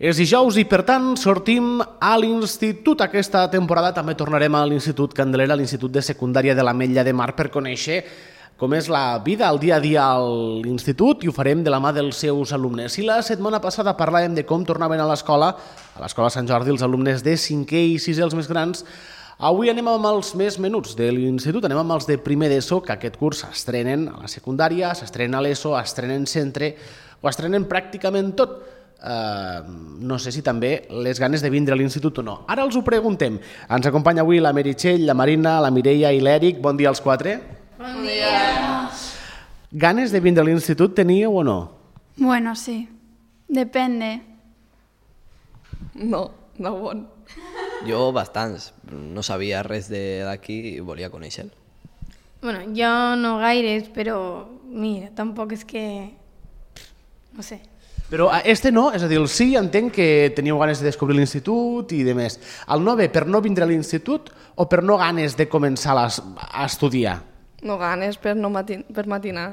És dijous i, per tant, sortim a l'institut. Aquesta temporada també tornarem a l'Institut Candelera, a l'Institut de Secundària de l'Ametlla de Mar, per conèixer com és la vida, el dia a dia a l'institut, i ho farem de la mà dels seus alumnes. Si la setmana passada parlàvem de com tornaven a l'escola Sant Jordi, els alumnes de 5è i 6è, els més grans, avui anem amb els més menuts de l'institut, anem amb els de primer d'ESO, que aquest curs s'estrenen a la secundària, s'estrenen a l'ESO, estrenen centre, ho estrenen pràcticament tot. No sé si també les ganes de vindre a l'institut o no. Ara els ho preguntem. Ens acompanya avui la Meritxell, la Marina, la Mireia i l'Eric. Bon dia als quatre. Bon dia. Ganes de vindre a l'institut teníeu o no? Bueno, sí. Depende. No bon. Jo bastants. No sabia res d'aquí i volia conèixer-lo. Bueno, jo no gaires, però mira, tampoc és que... No sé. Però este no, és a dir, el sí, entenc que teníeu ganes de descobrir l'institut i de més. El no ve per no vindre a l'institut o per no ganes de començar a estudiar? No ganes per matinar.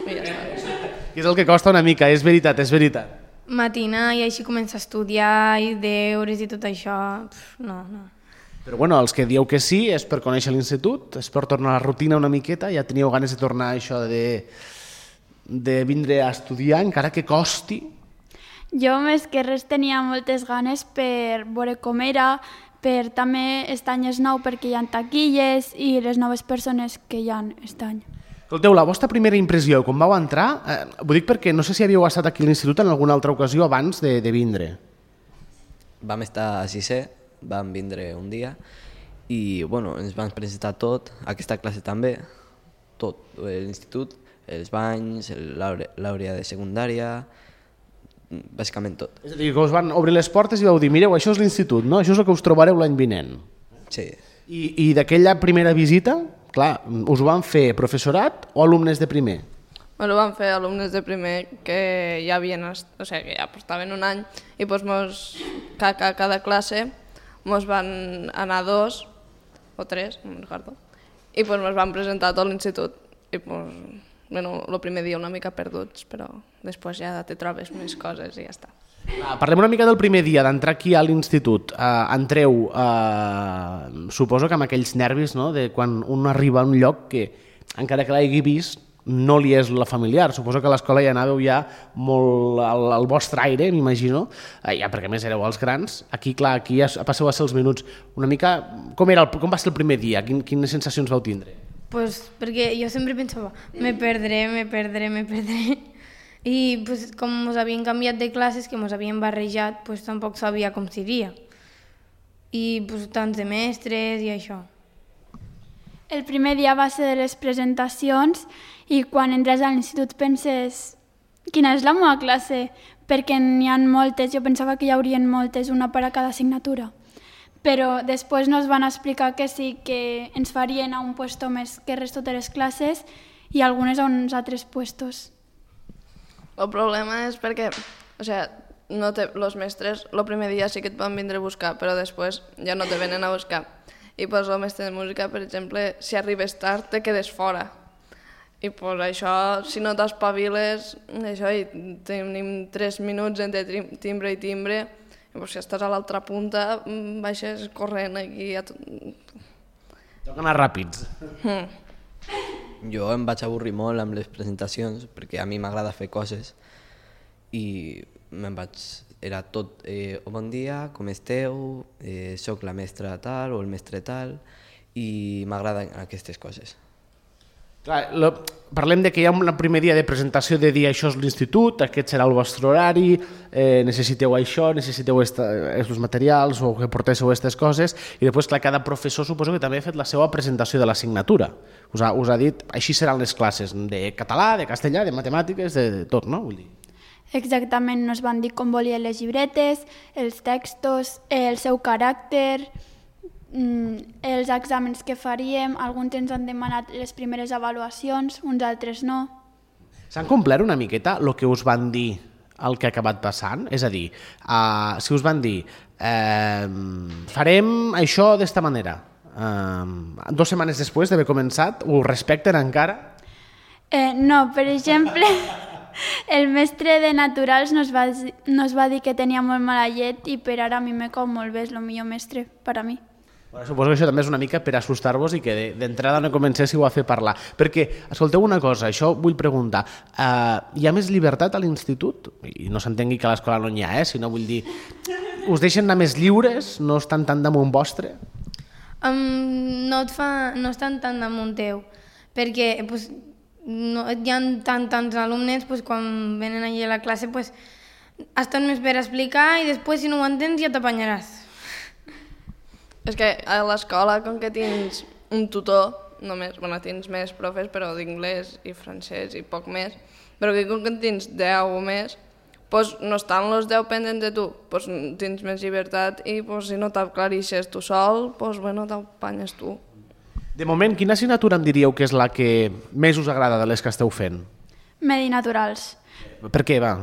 I ja està. És el que costa una mica, és veritat, és veritat. Matinar i així començar a estudiar i deures i tot això, no. Però bueno, els que dieu que sí és per conèixer l'institut, és per tornar a la rutina una miqueta, ja teníeu ganes de tornar a això de vindre a estudiar, encara que costi. Jo més que res tenia moltes ganes per veure com era, per també aquest any és nou perquè hi ha taquilles i les noves persones que hi ha aquest any. Escolteu, la vostra primera impressió, quan vau entrar, ho dic perquè no sé si havíeu estat aquí a l'institut en alguna altra ocasió abans de vindre. Vam estar a 6è, vam vindre un dia i bueno, ens van presentar tot, aquesta classe també, tot, l'institut, els banys, l'àrea de secundària, bàsicament tot. És a dir, que us van obrir les portes i vau dir, mireu, això és l'institut, no? Això és el que us trobareu l'any vinent. Sí. I d'aquella primera visita, clar, us ho van fer professorat o alumnes de primer? Ho van fer alumnes de primer que ja havien, o sigui, que ja portaven un any i doncs cada classe ens van anar 2 o 3, no me'n recordo, i ens van presentar tot l'institut i doncs... Bueno, el primer dia una mica perduts, però després ja te trobes més coses i ja està. Parlem una mica del primer dia d'entrar aquí a l'institut. Entreu, suposo que amb aquells nervis, no?, de quan un arriba a un lloc que, encara que l'hagi vist, no li és la familiar. Suposo que a l'escola ja anàveu ja molt al vostre aire, m'imagino, ja perquè a més éreu els grans. Aquí, clar, aquí ja passeu a ser els minuts. Una mica, com va ser el primer dia? Quines sensacions vau tindre? Pues perquè jo sempre pensava, me perdré. I pues, com ens havien canviat de classes, que ens havien barrejat, pues, tampoc sabia com seria. I pues, tants de mestres i això. El primer dia va ser de les presentacions i quan entres a l'institut penses quina és la meva classe, perquè n'hi ha moltes, jo pensava que hi haurien moltes, una per a cada assignatura. Però després ens van explicar que sí, que ens farien a un puesto més que res totes les classes i algunes a uns altres puestos. El problema és perquè, o sigui, els mestres el primer dia sí que et van vindre a buscar, però després ja no te venen a buscar. I pues, el mestre de música, per exemple, si arribes tard te quedes fora. I pues, això, si no t'espaviles, això, i tenim 3 minuts entre timbre i timbre, i pues, si estàs a l'altra punta, baixes corrent aquí. Toca anar ràpids. Jo em vaig avorrir molt amb les presentacions perquè a mi m'agrada fer coses i era tot bon dia, com esteu, soc la mestra tal o el mestre tal i m'agraden aquestes coses. Clar, parlem de que hi ha un primer dia de presentació de dir això és l'institut, aquest serà el vostre horari, necessiteu això, necessiteu els materials o que portéssiu aquestes coses, i després, clar, cada professor suposo que també ha fet la seva presentació de l'assignatura. Us ha dit, així seran les classes, de català, de castellà, de matemàtiques, de tot, no? Vull dir. Exactament, ens van dir com volien les llibretes, els textos, el seu caràcter, els exàmens que faríem, alguns ens han demanat les primeres avaluacions, uns altres no. S'han complert una miqueta el que us van dir el que ha acabat passant? És a dir, si us van dir farem això d'esta manera, 2 setmanes després d'haver començat, ho respecten encara? No, per exemple, El mestre de naturals nos va dir que tenia molt mala llet i per ara a mi me cau molt bé, és el millor mestre per a mi. Bueno, suposo que això també és una mica per assustar-vos i que d'entrada no comencéssiu a fer parlar. Perquè, escolteu una cosa, això vull preguntar, hi ha més llibertat a l'institut? I no s'entengui que a l'escola no n'hi ha, sinó vull dir, us deixen anar més lliures? No estan tan damunt vostre? No estan tan damunt teu, perquè no, hi ha tants alumnes, quan venen allà a la classe estan més per explicar i després si no ho entens ja t'apanyaràs. És que a l'escola, com que tens un tutor, només, tens més profes, però d'inglès i francès i poc més, però que com que tens 10 o més, no estan els 10 pendents de tu, tens més llibertat i si no t'aclarixes tu sol, t'apanyes tu. De moment, quina assignatura em diríeu que és la que més us agrada de les que esteu fent? Medi naturals. Per què, va?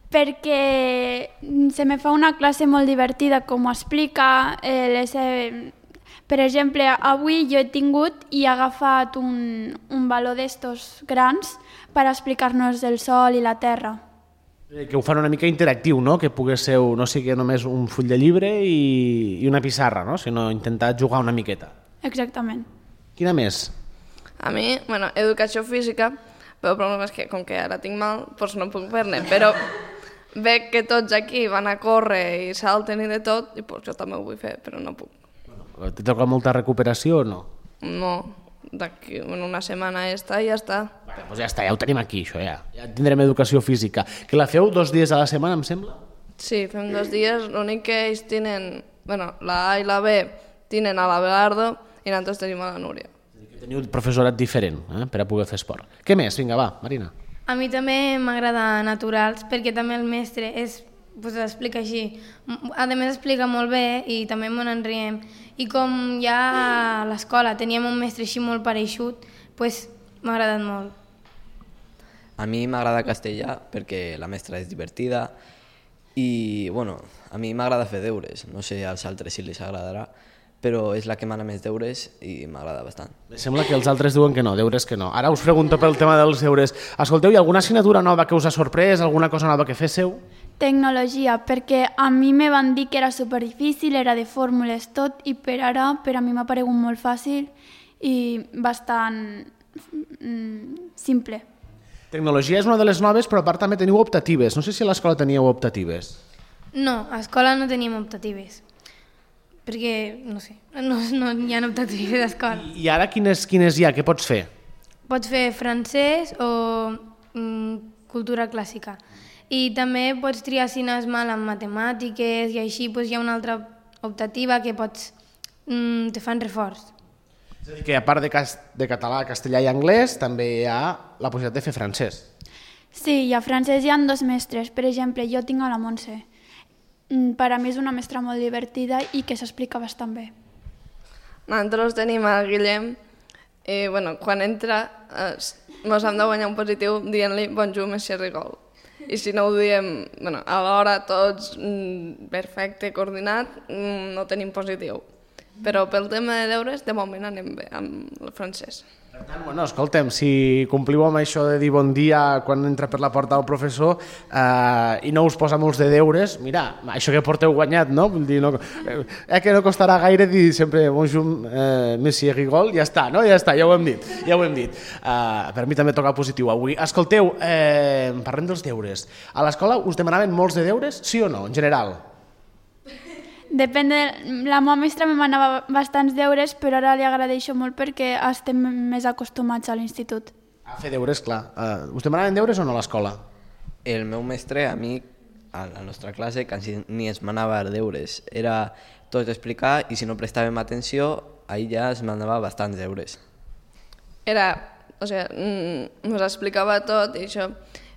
Perquè se me fa una classe molt divertida, com ho explica. Per exemple, avui jo he tingut i he agafat un baló d'estos grans per explicar-nos el sol i la terra. Que ho fan una mica interactiu, no? Que pogués ser, no sigui només un full de llibre i una pissarra, no? Sinó intentar jugar una miqueta. Exactament. Quina més? A mi, educació física, però el problema és que com que ara tinc mal, no puc fer-ne, però veig que tots aquí van a córrer i salten i de tot, i jo també ho vull fer, però no puc. Te toca molta recuperació o no? No, d'aquí una setmana i ja està. Doncs ja està, ja ho tenim aquí, això ja. Ja tindrem educació física. Que la feu 2 dies a la setmana, em sembla? Sí, fem 2 dies, l'únic que ells tenen, la A i la B tenen a l'Abelardo i nosaltres tenim a la Núria. Teniu un professorat diferent per a poder fer esport. Què més? Vinga, va, Marina. A mi també m'agrada naturals perquè també el mestre explica així. A més explica molt bé i també me n'enriem. I com ja a l'escola teníem un mestre així molt pareixut, m'ha agradat molt. A mi m'agrada castellà perquè la mestra és divertida i, a mi m'agrada fer deures. No sé als altres si els agradarà, però és la que mana més deures i m'agrada bastant. Sembla que els altres diuen que no, deures que no. Ara us pregunto pel tema dels deures. Escolteu, hi ha alguna assignatura nova que us ha sorprès, alguna cosa nova que féssiu? Tecnologia, perquè a mi me van dir que era superdifícil, era de fórmules tot, i per ara per a mi m'ha paregut molt fàcil i bastant simple. Tecnologia és una de les noves, però a part també teniu optatives. No sé si a l'escola teníeu optatives. No, a l'escola no tenim optatives. Perquè, no sé, no hi ha optatives d'escola. I ara quines hi ha? Què pots fer? Pots fer francès o cultura clàssica. I també pots triar si anaves mal en matemàtiques i així hi ha una altra optativa que te fan reforç. És a dir, que a part de català, castellà i anglès, també hi ha la possibilitat de fer francès. Sí, i a francès hi ha 2 mestres. Per exemple, jo tinc a la Montse. Per a mi és una mestra molt divertida i que s'explica bastant bé. Nosaltres tenim el Guillem i quan entra ens hem de guanyar un positiu dient-li bonjour, monsieur Rigol. I si no ho diem a l'hora tots perfecte, coordinat, no tenim positiu. Però pel tema de deures, de moment anem bé amb el francès. Per tant, escolta'm, si compliu amb això de dir bon dia quan entra per la porta el professor i no us posa molts de deures, mira, això que porteu guanyat, no? Vull dir, que no costarà gaire dir sempre bonjour, monsieur Rigol, ja està, no? Ja està, ja ho hem dit. Per mi també toca positiu avui. Escolteu, parlem dels deures. A l'escola us demanaven molts de deures, sí o no, en general? Depèn de... La meva mestra me manava bastants deures, però ara li agraeixo molt perquè estem més acostumats a l'institut. A fer deures, clar. Us demanaven deures o no a l'escola? El meu mestre, a mi, a la nostra classe, quasi ni es manava deures. Era tot explicar i si no prestàvem atenció, ahir ja es manava bastants deures. Ens explicava tot i això,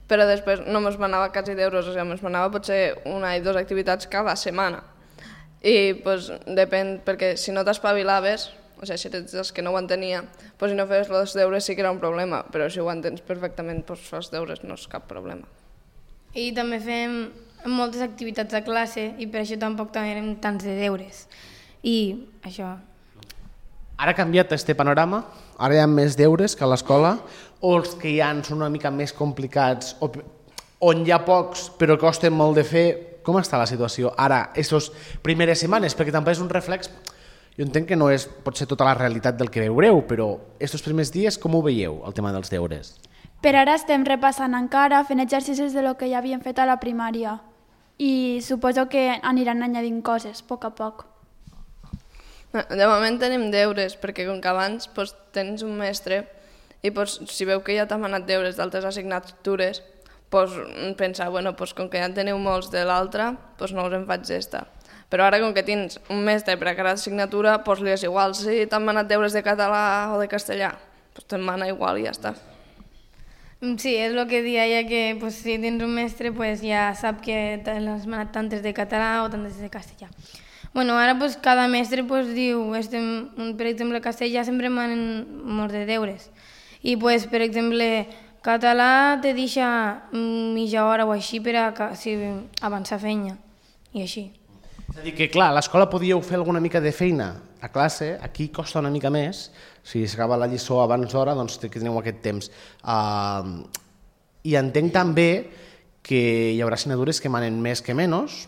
però després no ens manava quasi deures, ens manava potser 1 o 2 activitats cada setmana. I depèn, perquè si no t'espavilaves, si eres dels que no ho entenia, si no feies els deures sí que era un problema, però si ho entens perfectament, fas deures, no és cap problema. I també fem moltes activitats a classe i per això tampoc tenim tants de deures. I això... Ara ha canviat este panorama? Ara hi ha més deures que a l'escola? O els que hi ha són una mica més complicats? On hi ha pocs però costen molt de fer? Com està la situació ara, aquestes primeres setmanes? Perquè també és un reflex, jo entenc que no és potser tota la realitat del que veureu, però aquests primers dies com ho veieu, el tema dels deures? Per ara estem repassant encara, fent exercicis de lo que ja havíem fet a la primària i suposo que aniran añadint coses a poc a poc. De moment tenim deures, perquè com que abans tens un mestre i si veu que ja t'ha manat deures d'altres assignatures, pensar, com que ja en teniu molts de l'altre, no us en faig d'esta. Però ara, com que tens un mestre per a cada assignatura, li és igual si t'han manat deures de català o de castellà. Te'n mana igual i ja està. Sí, és el que deia ja que si tens un mestre ja sap que t'has manat tantes de català o tantes de castellà. Ara cada mestre diu, per exemple, castellà sempre manen molts de deures. I per exemple, català te deixa mitja hora o així per avançar feina i així. És a dir que, clar, a l'escola podíeu fer alguna mica de feina a classe, aquí costa una mica més, si s'acaba la lliçó abans d'hora, doncs teniu aquest temps. I entenc també que hi haurà assignatures que manen més que menys.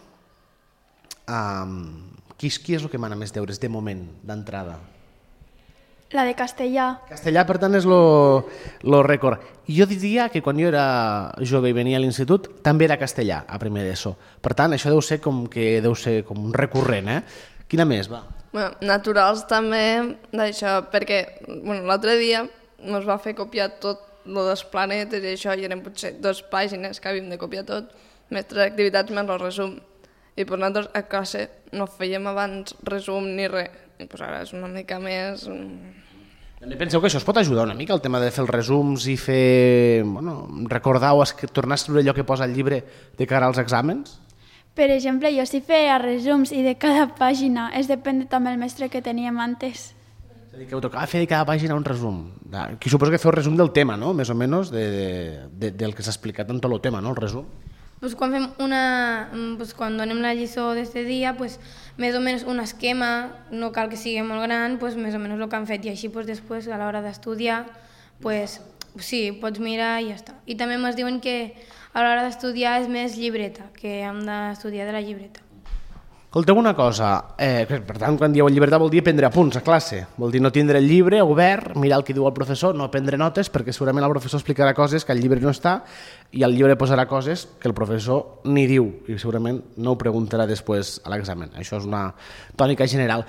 Qui és el que mana més deures de moment, d'entrada? La de castellà. Castellà, per tant, és el rècord. I jo diria que quan jo era jove i venia a l'institut, també era castellà, a primer d'ESO. Per tant, això deu ser com un recurrent, eh? Quina més, va? Naturals també, d'això, perquè l'altre dia ens va fer copiar tot el dels planetes i això, i eren potser 2 pàgines que havíem de copiar tot, més 3 activitats més el resum. I nosaltres a classe no fèiem abans resum ni res, i ara és una mica més... També penseu que això es pot ajudar una mica, el tema de fer els resums i fer... recordar o tornar a escriure allò que posa al llibre de cara als exàmens? Per exemple, jo sí feia resums i de cada pàgina, és depèn també del mestre que teníem antes. És a dir, que ho tocava fer de cada pàgina un resum. Aquí suposo que feu resum del tema, no? Més o menys, del que s'ha explicat en tot el tema, no? El resum. Quan fem quan donem la lliçó d'aquest dia, més o menys un esquema, no cal que sigui molt gran, més o menys el que han fet, i així després a l'hora d'estudiar, sí, pots mirar i ja està. I també ens diuen que a l'hora d'estudiar és més llibreta, que hem d'estudiar de la llibreta. Escolteu una cosa, per tant, quan dieu llibreta vol dir prendre apunts a classe, vol dir no tindre el llibre obert, mirar el que diu el professor, no prendre notes, perquè segurament el professor explicarà coses que al llibre no està i al llibre posarà coses que el professor ni diu i segurament no ho preguntarà després a l'examen. Això és una tònica general.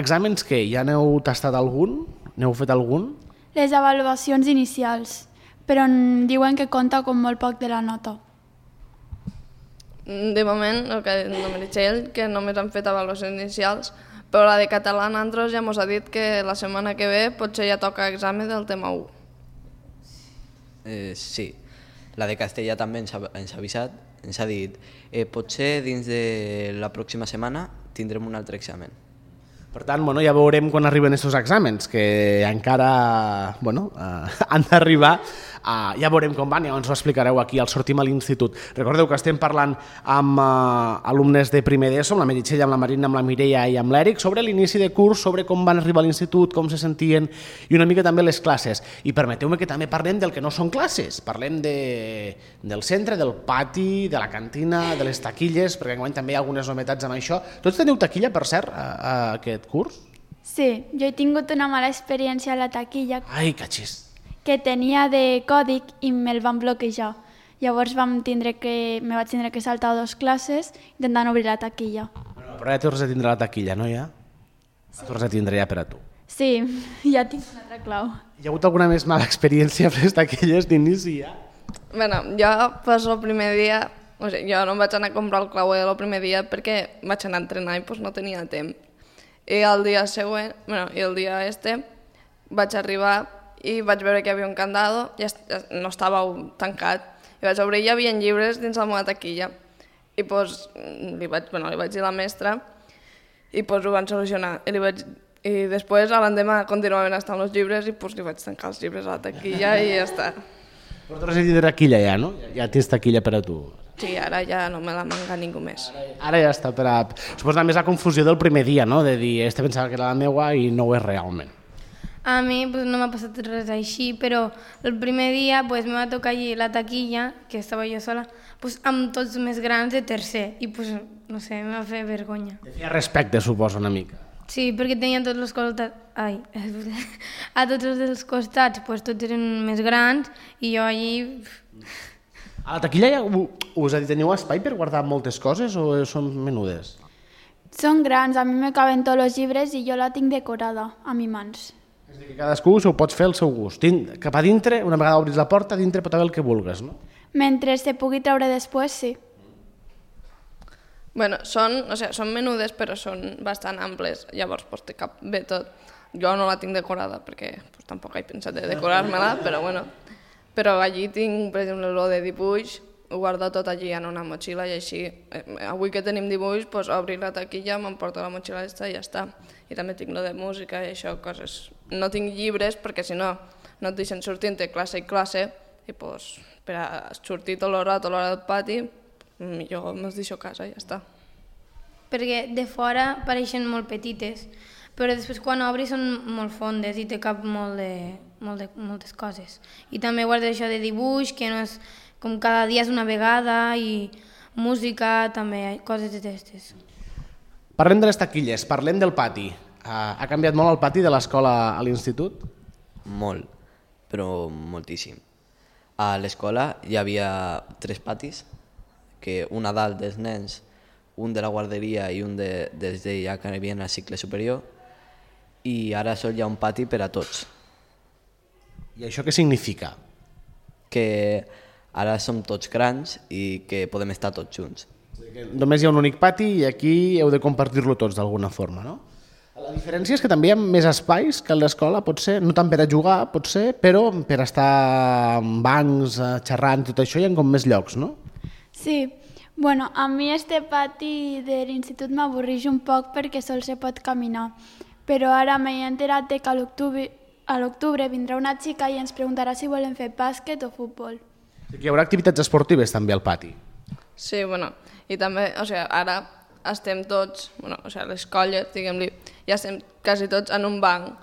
Exàmens què? Ja n'heu tastat algun? N'heu fet algun? Les avaluacions inicials, però diuen que compta com molt poc de la nota. De moment, el que no m'ha dit ell, que només han fet avaluacions inicials, però la de català a nosaltres ja ens ha dit que la setmana que ve potser ja toca examen del tema 1. Sí, la de castellà també ens ha avisat, ens ha dit potser dins de la pròxima setmana tindrem un altre examen. Per tant, ja veurem quan arriben aquests exàmens, que encara han d'arribar. Ja veurem com van, ja ens ho explicareu aquí al Sortim a l'Institut. Recordeu que estem parlant amb alumnes de primer d'ESO, amb la Meritxell, amb la Marina, amb la Mireia i amb l'Èric, sobre l'inici de curs, sobre com van arribar a l'Institut, com se sentien, i una mica també les classes. I permeteu-me que també parlem del que no són classes, parlem del centre, del pati, de la cantina, de les taquilles, perquè enguany també hi ha algunes novetats amb això. Tots teniu taquilla, per cert, aquest curs? Sí, jo he tingut una mala experiència a la taquilla. Ai, catxis. Que tenia de còdic i me'l van bloquejar. Llavors me vaig tindre que saltar 2 classes intentant obrir la taquilla. Però ja tornes a tindre la taquilla, no ja? Sí. Tornes a tindre ja per a tu. Sí, ja tinc una altra clau. Hi ha hagut alguna més mala experiència amb les taquilles d'inici ja? Jo el primer dia, jo no em vaig anar a comprar el clauer el primer dia perquè vaig anar a entrenar i no tenia temps. I el dia següent, el dia vaig arribar i vaig veure que hi havia un candado, no estava tancat, i vaig obrir i hi havia llibres dins la meva taquilla. I li vaig dir a la mestra i ho van solucionar. I després, a l'endemà, continuaven estant els llibres i li vaig tancar els llibres a la taquilla i ja està. Però tu has de tindre taquilla ja, no? Ja tens taquilla per a tu. Sí, ara ja no me la manca ningú més. Ara ja està Suposo també és la confusió del primer dia, no? De dir, este pensava que era la meua i no ho és realment. A mi pues, no m'ha passat res així, però el primer dia pues, me va tocar allí la taquilla, que estava jo sola, pues, amb tots més grans de tercer, i pues, no sé, em va fer vergonya. Te feia respecte, suposo, una mica. Sí, perquè tenia tots els costats... Ai, a tots els costats pues, tots eren més grans i jo allí... A la taquilla ja us teniu espai per guardar moltes coses o són menudes? Són grans, a mi me caben tots els llibres i jo la tinc decorada a mi mans. És a dir, que cadascú s'ho pot fer al seu gust. Cap a dintre, una vegada obris la porta, dintre pot haver el que vulgues, no? Mentre se pugui treure després, sí. Bueno, són menudes però són bastant amples, llavors pues, te cap bé tot. Jo no la tinc decorada perquè pues, tampoc he pensat de decorar-me-la, però bueno. Però allí tinc, per exemple, lo de dibuix, ho guardo tot allí en una motxilla i així, avui que tenim dibuix, pues, obrir la taquilla, m'emporto la motxilla i ja està. I també tinc lo de música i això, coses. No tinc llibres perquè si no, no et deixen sortir entre classe i classe i pues, per a sortir tot l'hora del pati, millor me'ls deixo a casa i ja està. Perquè de fora pareixen molt petites, però després quan obris són molt fondes i té cap moltes coses. I també guardo això de dibuix, que no és com cada dia és una vegada, i música, també, coses d'aquestes. Parlem de les taquilles, parlem del pati. Ha canviat molt el pati de l'escola a l'institut? Molt, però moltíssim. A l'escola hi havia 3 patis, que un a dalt dels nens, un de la guarderia i un dels de ja que havien al cicle superior, i ara sol hi ha un pati per a tots. I això què significa? Que ara som tots grans i que podem estar tots junts. Només hi ha un únic pati i aquí heu de compartir-lo tots d'alguna forma, no? La diferència és que també hi ha més espais que a l'escola, potser, no tant per a jugar, potser, però per estar en bancs, xerrant, tot això, hi ha com més llocs, no? Sí, bueno, a mi este pati de l'institut m'avorreix un poc perquè sol se pot caminar, però ara m'he enterat que a l'octubre vindrà una xica i ens preguntarà si volem fer bàsquet o futbol. Hi haurà activitats esportives també al pati. Sí, bueno, i també, ara estem tots, les colles, diguem-li, ja estem quasi tots en un banc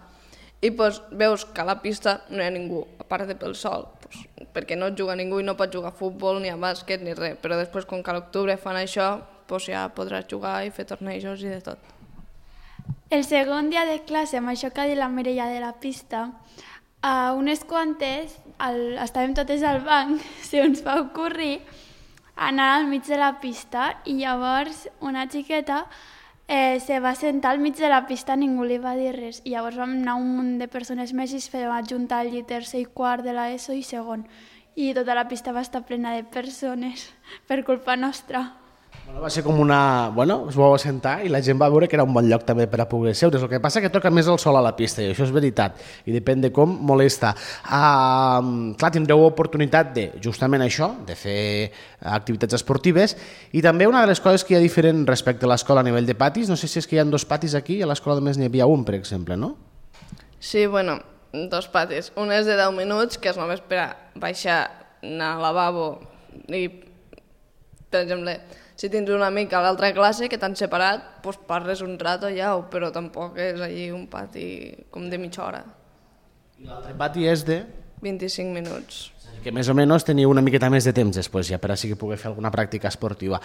i pues, veus que a la pista no hi ha ningú, a part de pel sol, pues, perquè no juga ningú i no pot jugar a futbol, ni a bàsquet, ni res, però després, com que a l'octubre fan això, pues, ja podràs jugar i fer tornejos i de tot. El segon dia de classe, amb això que ha dit la Mireia de la pista, a unes quantes, estàvem totes al banc, se ens va ocórrer anar al mig de la pista i llavors una xiqueta se va sentar al mig de la pista, ningú li va dir res. I llavors vam anar un munt de persones més i es va ajuntar allí tercer i quart de l'ESO i segon. I tota la pista va estar plena de persones per culpa nostra. Bueno, va ser com una... Bueno, es vau assentar i la gent va veure que era un bon lloc també per a poder seure. El que passa que toca més el sol a la pista i això és veritat. I depèn de com molesta. Clar, tindreu oportunitat de justament això, de fer activitats esportives i també una de les coses que hi ha diferent respecte a l'escola a nivell de patis, no sé si és que hi ha 2 patis aquí i a l'escola només n'hi havia un, per exemple, no? Sí, bueno, 2 patis. Un és de 10 minuts, que és només per a baixar, anar al lavabo i, per exemple, si tens un amic a l'altra classe que t'han separat, doncs parles un rato ja, però tampoc és allí un pati com de mitja hora. I l'altre pati és de... 25 minuts. Que més o menys teniu una miqueta més de temps després, ja per a sí que pugui fer alguna pràctica esportiva.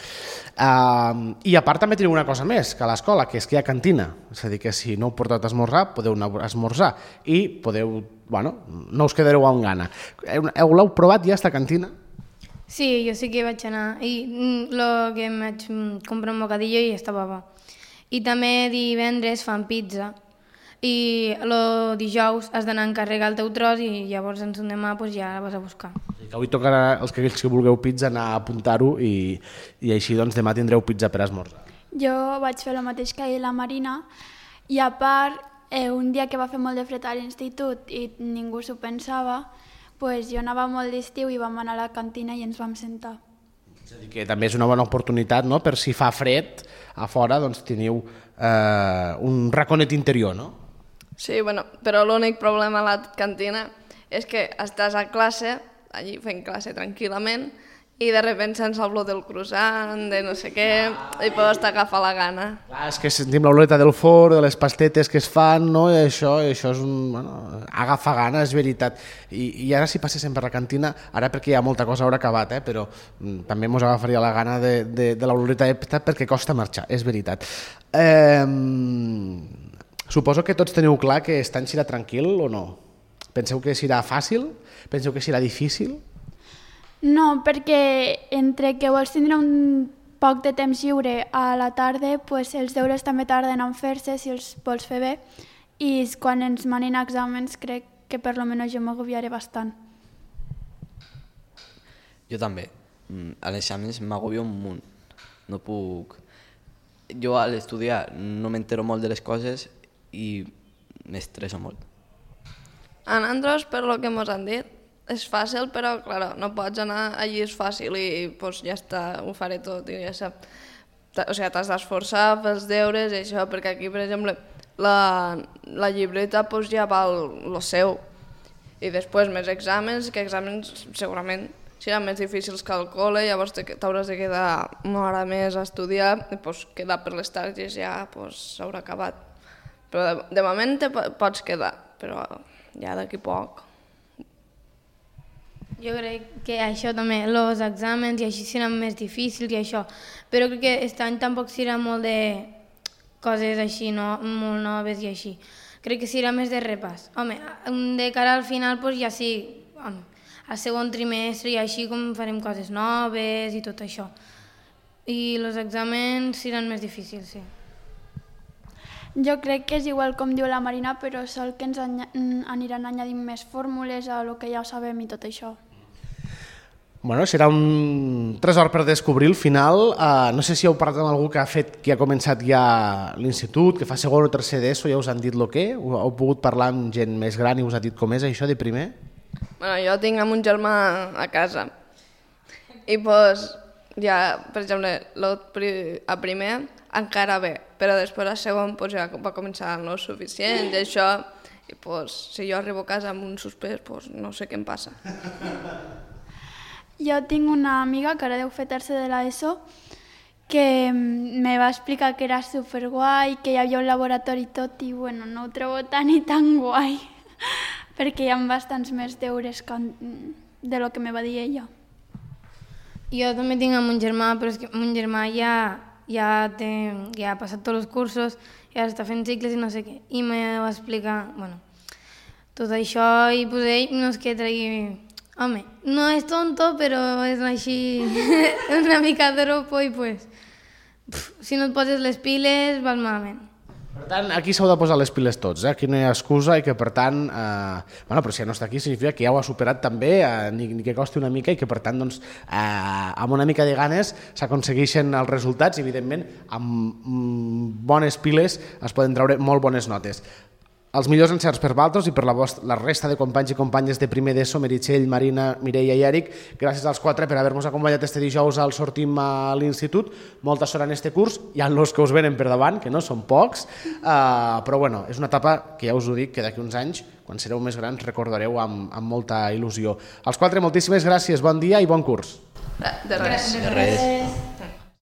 I a part també teniu una cosa més que a l'escola, que és que hi ha cantina. És a dir, que si no heu portat a esmorzar, podeu anar a esmorzar i podeu, bueno, no us quedareu amb gana. L'heu provat ja, esta cantina? Sí, jo sí que vaig anar i el que em vaig comprar un bocadillo i estava bo. I també divendres fan pizza i el dijous has d'anar a encarregar el teu tros i llavors en son demà pues, ja la vas a buscar. Que avui tocarà els que vulgueu pizza anar a apuntar-ho i així doncs demà tindreu pizza per esmorzar. Jo vaig fer el mateix que ha dit la Marina i a part un dia que va fer molt de fred a l'institut i ningú s'ho pensava, pues jo anava molt d'estiu i vam anar a la cantina i ens vam sentar. És a dir, que també és una bona oportunitat, no?, per si fa fred a fora, doncs teniu un raconet interior, no? Sí, bueno, però l'únic problema a la cantina és que estàs a classe, allí fent classe tranquil·lament, i de repente se'ns olor del croissant, de no sé què, i pues t'agafa la gana. Clar, és que sentim l'oleta del forn, de les pastetes que es fan, no? I això és un... Bueno, agafa gana, és veritat. I ara si passéssim per la cantina, ara perquè hi ha molta cosa haurà acabat, però també mos agafaria la gana de l'oleta perquè costa marxar, és veritat. Suposo que tots teniu clar que aquest any serà tranquil o no? Penseu que serà fàcil? Penseu que serà difícil? No, perquè entre que vols tindre un poc de temps lliure a la tarda, pues els deures també tarden en fer-se si els vols fer bé, i quan ens manin exàmens crec que per lo menos jo m'agobiaré bastant. Jo també. A l'exàmens m'agobio un munt. No puc... Jo a l'estudiar no m'entero molt de les coses i m'estresso molt. A nosaltres, per lo que ens han dit, és fàcil, però claro, no pots anar allí, és fàcil i pues, ja està, ho faré tot i ja sap. O sigui, t'has d'esforçar, fer els deures i això, perquè aquí, per exemple, la llibreta pues, ja val lo seu. I després més exàmens, que exàmens segurament seran més difícils que al col·le, llavors t'hauràs de quedar una hora més a estudiar i pues, quedar per les tardes ja s'haurà acabat. Però de moment te pots quedar, però ja d'aquí poc. Jo crec que això també, els exàmens i així seran més difícils i això, però crec que aquest any tampoc serà molt de coses així, no? Molt noves i així. Crec que serà més de repàs. Home, de cara al final pues, ja sí, al segon trimestre i així com farem coses noves i tot això. I els exàmens seran més difícils, sí. Jo crec que és igual com diu la Marina, però sol que ens aniran añadint més fórmules a lo que ja sabem i tot això. Bueno, serà un tresor per descobrir al final. No sé si heu parlat amb algú que ha començat ja l'institut, que fa segon o tercer d'ESO, ja us han dit el què? Heu pogut parlar amb gent més gran i us ha dit com és això de primer? Bueno, jo tinc un germà a casa i pues, ja, per exemple, a primer encara bé, però després a segon pues, ja va començar no suficient i això, i pues, si jo arribo a casa amb un suspès, pues, no sé què em passa. Jo tinc una amiga que ara deu fer tercer de l'ESO que me va explicar que era superguai, que hi havia un laboratori i tot, i bueno, no ho trobo tan i tan guai, perquè hi ha bastants més deures de lo que me va dir ella. Jo també tinc un germà, però és que mon germà ja ha passat tots els cursos i ara està fent cicles i no sé què. I me va explicar, bueno, tot això i pues ell no és que tregui... Home, no és tonto, però és així una mica dropo i pues... si no et poses les piles vas malament. Per tant, aquí s'heu de posar les piles tots, aquí no hi ha excusa i que per tant, bueno, però si ja no està aquí significa que ja ho ha superat també, ni que costi una mica i que per tant, doncs, amb una mica de ganes s'aconsegueixen els resultats i evidentment amb bones piles es poden treure molt bones notes. Els millors encerts per vosaltres i per la resta de companys i companyes de primer d'ESO, Meritxell, Marina, Mireia i Eric. Gràcies als quatre per haver-nos acompanyat este dijous al Sortim a l'institut. Molta sort en este curs. Hi ha els que us venen per davant, que no són pocs, però bueno, és una etapa que ja us ho dic, que d'aquí uns anys, quan sereu més grans, recordareu amb molta il·lusió. Als quatre, moltíssimes gràcies, bon dia i bon curs. De res. De res.